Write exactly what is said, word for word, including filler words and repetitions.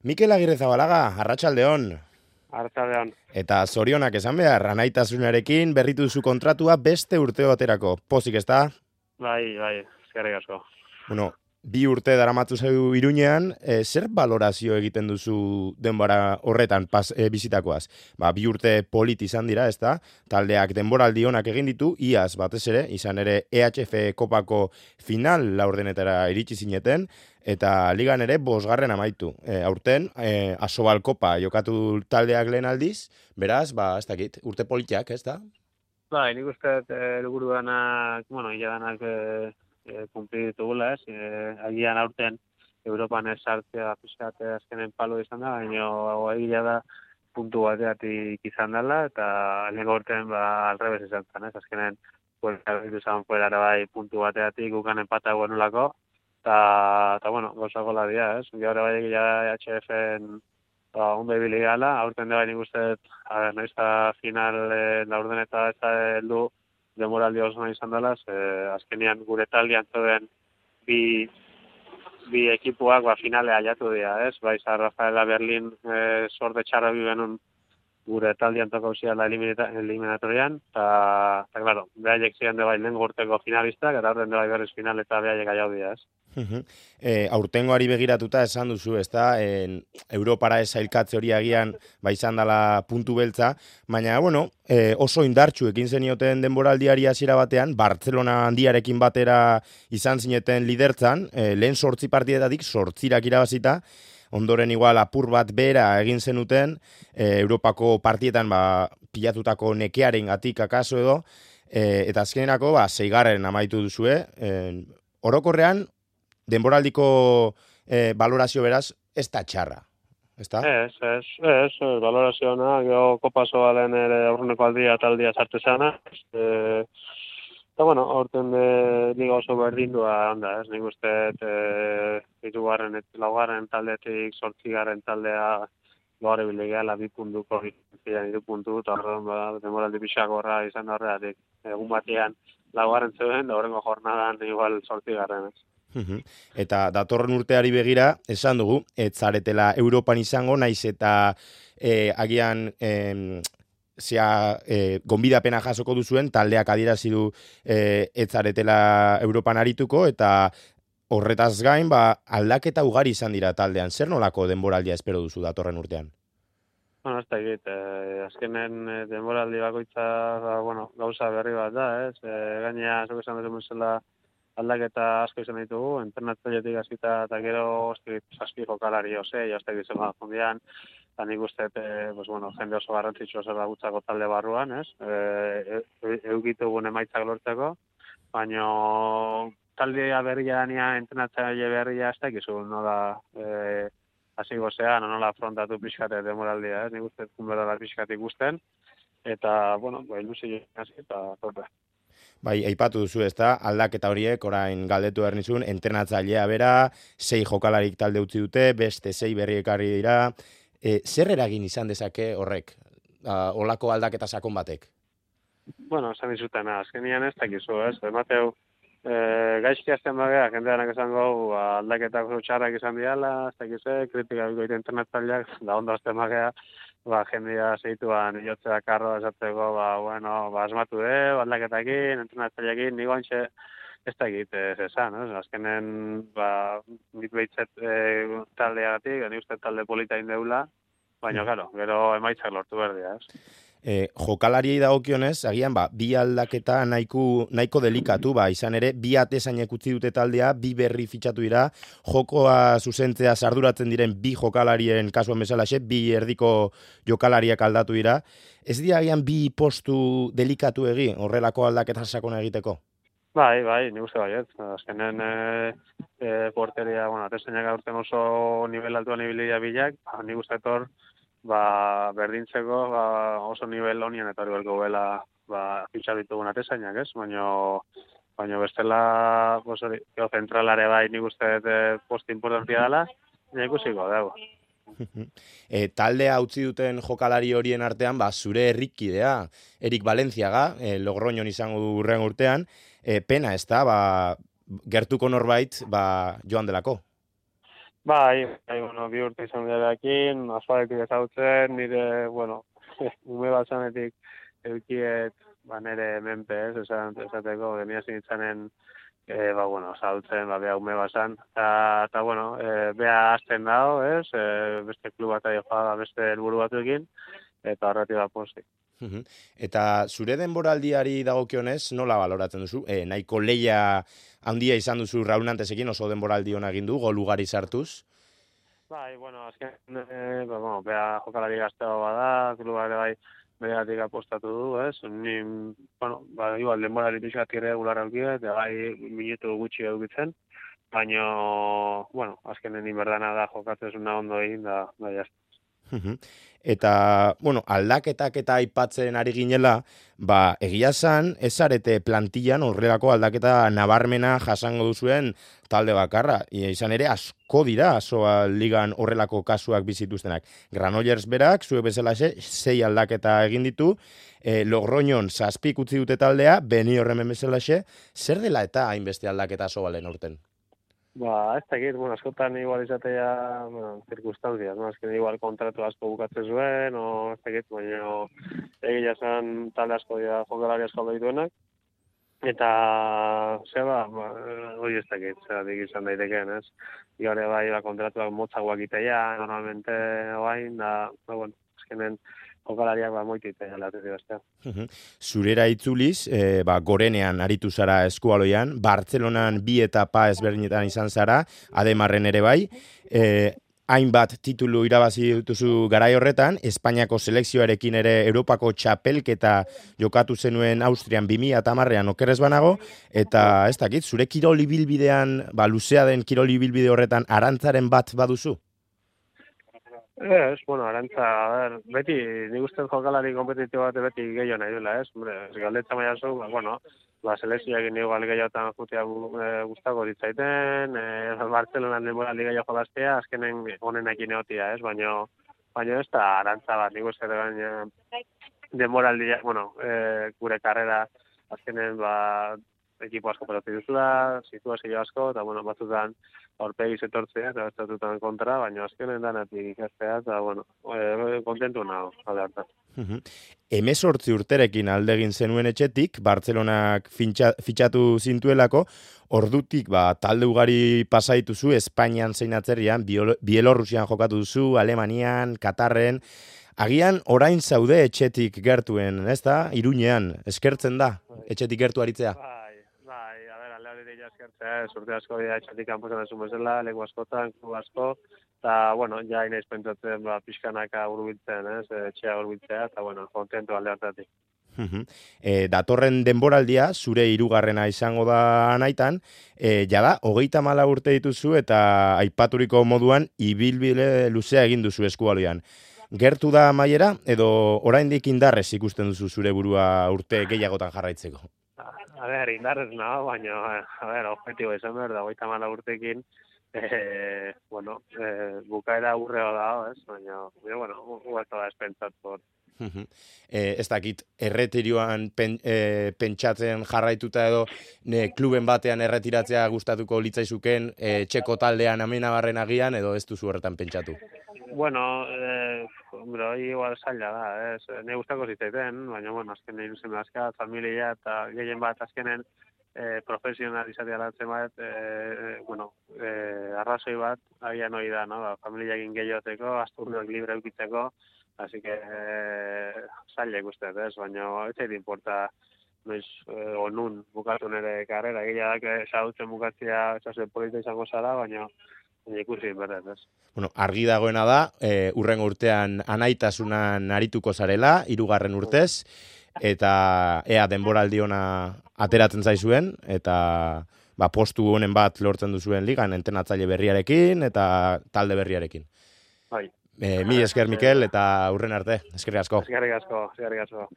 Mikel Agirrezabalaga, arratsaldeon. Arratsaldeon. Eta zorionak esan behar, anaitasunarekin berritu duzu kontratua beste urte baterako. Pozik ez da? Bai, bai, eskerrik asko. Bueno, bi urte daramatzu zeu Iruñean, e, zer balorazio egiten duzu denbora horretan pas, e, bizitakoaz? Ba, bi urte polit izan dira, ez da? Taldeak denboraldi onak egin ditu, iaz batez ere, izan ere E H F kopako final laurdenetara iritsi zineten, eta ligan ere bosgarren amaitu. E, aurten, e, Asobal kopa jokatu taldeak lehen aldiz, beraz, ba, ez dakit, urte politiak, ez da? Bai, nik uste dut helburu danak, bueno, ila danak e, e, kumpli ditugula, ez? E, agian aurten Europan ez sartzea pixkat azkenen palo izan da, baina egia da puntu bateatik izan dela, eta lehenko urtean ba, alrebez izan zen, ez? Azkenen, fuera, izan fuera bai puntu bateatik gukan empata guenulako, eta, eta bueno, gozako ladia, ez? Gaur bai egia da H F-en ba, ondo ibili gala, aurten da bai nik uste, a ber, noiz da final e, laurden eta ez da heldu demoraldi oso nahi izan dela, ze azkenean gure taldean zeuden bi, bi ekipuak ba, finale aiatu dira, ez? Bai, San Rafaela Berlin e, sorte txarra bi genuen gure taldean toko ziala eliminatorian, eta, eta, klaro, behaiek ziren de bai lehen urteko finalistak, eta aurten de bai berriz final eta behaiek aiau dira, ez? E, aurtengoari begiratuta esan duzu, ez da, en, Europara esailkatze hori agian ba izan dela puntu beltza, baina, bueno, e, oso indartsu ekin zenioten denboraldiari hasiera batean, Bartzelona handiarekin batera izan zineten lidertzan, e, lehen sortzi partidetatik sortzirak irabazita, ondoren igual apur bat bera egin zenuten, e, Europako partietan ba, pilatutako nekearen gatik akaso edo, e, eta azkenerako ba, zeigarren amaitu duzue, e, orokorrean, denboraldiko eh, balorazio beraz, ez da txarra, ez da? Ez, ez, ez, ez, balorazio ona, geho kopaso balen ere aurreneko aldia eta aldia sartu zana, e, eta bueno, aurten de liga oso berdindua onda, ez, nik uste, e, itugarren, laugarren taldetik, sortzigarren taldea, gaur ebile gehala bi puntuko, ziren iru puntu, eta horren, ba, demoraldi pixak horra izan horreatik, egun batean, laugarren zeuden, da horrengo jornadan igual sortzigarren, ez. Eta datorren urteari begira, esan dugu, ez zaretela Europan izango, naiz eta e, agian e, zea e, gonbidapena jasoko duzuen, taldeak adierazi du e, ez zaretela Europan arituko, eta horretaz gain, ba, aldaketa ugari izan dira taldean. Zer nolako denboraldia espero duzu datorren urtean? Bueno, ez da egit, eh, azkenen eh, denboraldi bakoitza, ba, bueno, gauza berri bat da, ez? Eh, gainea, zuk esan dut zela, aldaketa asko izan ditugu, entrenatzailetik hasita eta gero zazpi jokalari ose, jaztek izan bat fundian, eta nik uste, e, pues, bueno, jende oso garrantzitsu oso da gutzako talde barruan, ez? E, e, eukitu gune emaitzak lortzeko, baina taldea berria dania, entrenatzaile berria ez da ikizu, nola e, hasi gozea, nola afrontatu pixkate demoraldia, ez? Nik uste, kunbera pixkate ikusten, eta, bueno, ba, ilusio hasi, eta torre. Bai, aipatu duzu, ez da, aldaketa horiek, orain galdetu ernizun, entrenatzailea bera, sei jokalarik talde utzi dute, beste sei berri ekarri dira. E, zer eragin izan dezake horrek, uh, olako aldaketa sakon batek? Bueno, esan dizutena, azkenian ez dakizu, ez? Emateu, e, gaizki azten bagea, jendeanak esango ba, aldaketak oso txarrak izan diala, ez dakizu, kritika bikoite entrenatzaileak, da ondo azten bagea, ba, jendea zeituan jotzea karro esateko, ba, bueno, ba, asmatu de, aldaketakin, entrenatzaileakin, nigo antxe, ez da egit, ez esan, ez? Azkenen, ba, nik behitzet e, taldeagatik, ni uste talde polita indeula, baina, claro, gero emaitzak lortu berdia, ez? E, jokalariei dagokionez, agian, ba, bi aldaketa nahiko, nahiko delikatu, ba, izan ere, bi atezainek utzi dute taldea, bi berri fitxatu dira, jokoa zuzentzea sarduratzen diren bi jokalarien kasuan bezalaxe, bi erdiko jokalariak aldatu dira. Ez dira agian bi postu delikatu egi, horrelako aldaketa sakona egiteko? Bai, bai, nik uste baiet. Azkenen e, e, porteria, bueno, atezainak aurten oso nivel altuan ibilia bilak, ba, nik uste etor, ba, berdintzeko ba, oso nivel honien eta hori belko bela ba, fitxa ditugun atezainak, ez? Baina baina bestela pues, hori, zentralare bai nik uste e, post importantia dela, nik ikusiko, dago. E, taldea utzi duten jokalari horien artean, ba, zure herrikidea, Erik Valentziaga, e, Logroñon izango du hurren urtean, e, pena ez da, ba, gertuko norbait ba, joan delako. Bai, bai, bueno, bi urte izan dirakin, asfaletik ezautzen, nire, bueno, ume batzanetik eukiet, ba, nire menpe, ez, esan, esateko, genia zintzanen, e, ba, bueno, zautzen, ba, beha ume batzan, eta, eta, bueno, e, beha azten dago, ez, e, beste klub bat aio joa, beste helburu batuekin, eta horretik da pozik. Mhm. Eta zure denboraldiari dagokionez, nola baloratzen duzu? E, nahiko leia handia izan duzu Raul Nantesekin, oso denboraldi hona egin du, gol ugari sartuz. Bai, bueno, azken, e, ba, bueno, beha jokalari gazteo bada, kluba ere bai, beregatik apostatu du, ez? Ni, bueno, ba, igual, denborari pixkat irregular aukia, eta bai, minutu gutxi edukitzen, baina, bueno, azkenen inberdana da jokatzezuna ondo egin, da, da, jazta. Mhm. Eta, bueno, aldaketak eta aipatzen ari ginela, ba, egia zan, ez arete plantillan horrelako aldaketa nabarmena jasango duzuen talde bakarra. Ia, izan ere, asko dira, asoa ligan horrelako kasuak bizituztenak. Granollers berak, zuek bezalaxe, sei aldaketa egin ditu, e, Logroñon zazpik utzi dute taldea, Beni horremen bezalaxe, zer dela eta hainbeste aldaketa aso balen urten? Ba, ez dakit, bueno, askotan igual izatea, bueno, circunstancias, no? Azken igual kontratu asko bukatzen zuen, o ez dakit, baina egia zen talde asko dira jokalari asko dituenak, eta, zeba, ba, hori ez dakit, zeratik izan daitekeen, ez? Igore bai, ba, kontratuak motzagoak iteia, normalmente, oain, da, ba, bueno, azkenen, jokalariak ba moitu iteia latetik bestea. Zurera itzuliz, e, ba, gorenean aritu zara eskualoian, Bartzelonan bi etapa ezberdinetan izan zara, Ademarren ere bai, e, hainbat titulu irabazi dituzu garai horretan, Espainiako selekzioarekin ere Europako txapelketa jokatu zenuen Austrian bi mila hamarrean okerrez banago, eta ez dakit, zure kirol ibilbidean, ba, luzea den kirol ibilbide horretan arantzaren bat baduzu? Ez, bueno, arantza, a ber, beti, nik uste jokalari kompetitibo bat beti gehiago nahi duela, ez? Hombre, ez galdetza maia zu, ba, bueno, ba, selezioak igual gehiagotan jutea e, gustako ditzaiten, e, Bartzelonan denboraldi gehiago jolaztea, azkenen honenak ineotia, ez? Baina, baina ez da arantza bat, nik uste baina denboraldi, bueno, e, gure karrera, azkenen, ba, ekipo asko peloti duzula, situazio asko, eta, bueno, batzutan aurpegi zetortzea, eta batzutan kontra, baina azkenen danatik ikastea, eta, bueno, e, kontentu nago, alde hartan. Hemezortzi urterekin aldegin zenuen etxetik, Bartzelonak fintxa, fitxatu zintuelako, ordutik ba, talde ugari pasaitu zu, Espainian zein atzerrian, Bielorrusian jokatu duzu, Alemanian, Katarren, agian orain zaude etxetik gertuen, ez da? Iruñean, eskertzen da, etxetik gertu aritzea. Bai, bai, a ber, alde hori deia eskertzea, urte asko dira etxetik kanposan esun bezala, leku askotan, klub asko, eta, bueno, ja inaiz pentsatzen, ba, pixkanaka urbiltzen, ez, etxea urbiltzea, eta, bueno, kontento alde hartatik. E, datorren denboraldia, zure hirugarrena izango da naitan, e, jada, hogeita mala urte dituzu eta aipaturiko moduan ibilbide luzea egin duzu eskualoian. Gertu da amaiera, edo oraindik indarrez ikusten duzu zure burua urte gehiagotan jarraitzeko? A ber, indarrez nago, baina, a ber, objetibo izan behar da, hogeita mala urtekin, eh, bueno, eh, bukaera urreo da, ez, baina, bueno, guatu da espentzat por. E, ez dakit, erretirioan pen, e, pentsatzen jarraituta edo ne, kluben batean erretiratzea gustatuko litzaizuken, e, txeko taldean amenabarren agian, edo ez duzu horretan pentsatu? Bueno, eh, hombre, hori igual zaila da, ez, ne gustako zitzaiten, baina, bueno, azkenen iruzen azka, familia eta gehien bat azkenen eh, profesional izatea latzen bat, eh, bueno, eh, arrazoi bat, agian hori da, no? Ba, familiakin gehioteko, asturduak libre eukitzeko, así que eh, zaila ikustez, ez, baina ez zait importa noiz eh, onun bukatu nire karrera, egia da, sautzen bukatzea txase polita izango zara, baina ikusi berez, ez. Bueno, argi dagoena da, e, urrengo urtean anaitasunan arituko zarela, hirugarren urtez, eta ea denboraldi ona ateratzen zaizuen, eta ba, postu honen bat lortzen duzuen ligan, entenatzaile berriarekin eta talde berriarekin. Bai. E, mi esker, Mikel, eta urren arte. Eskerrik asko. Eskerrik asko, eskerrik asko.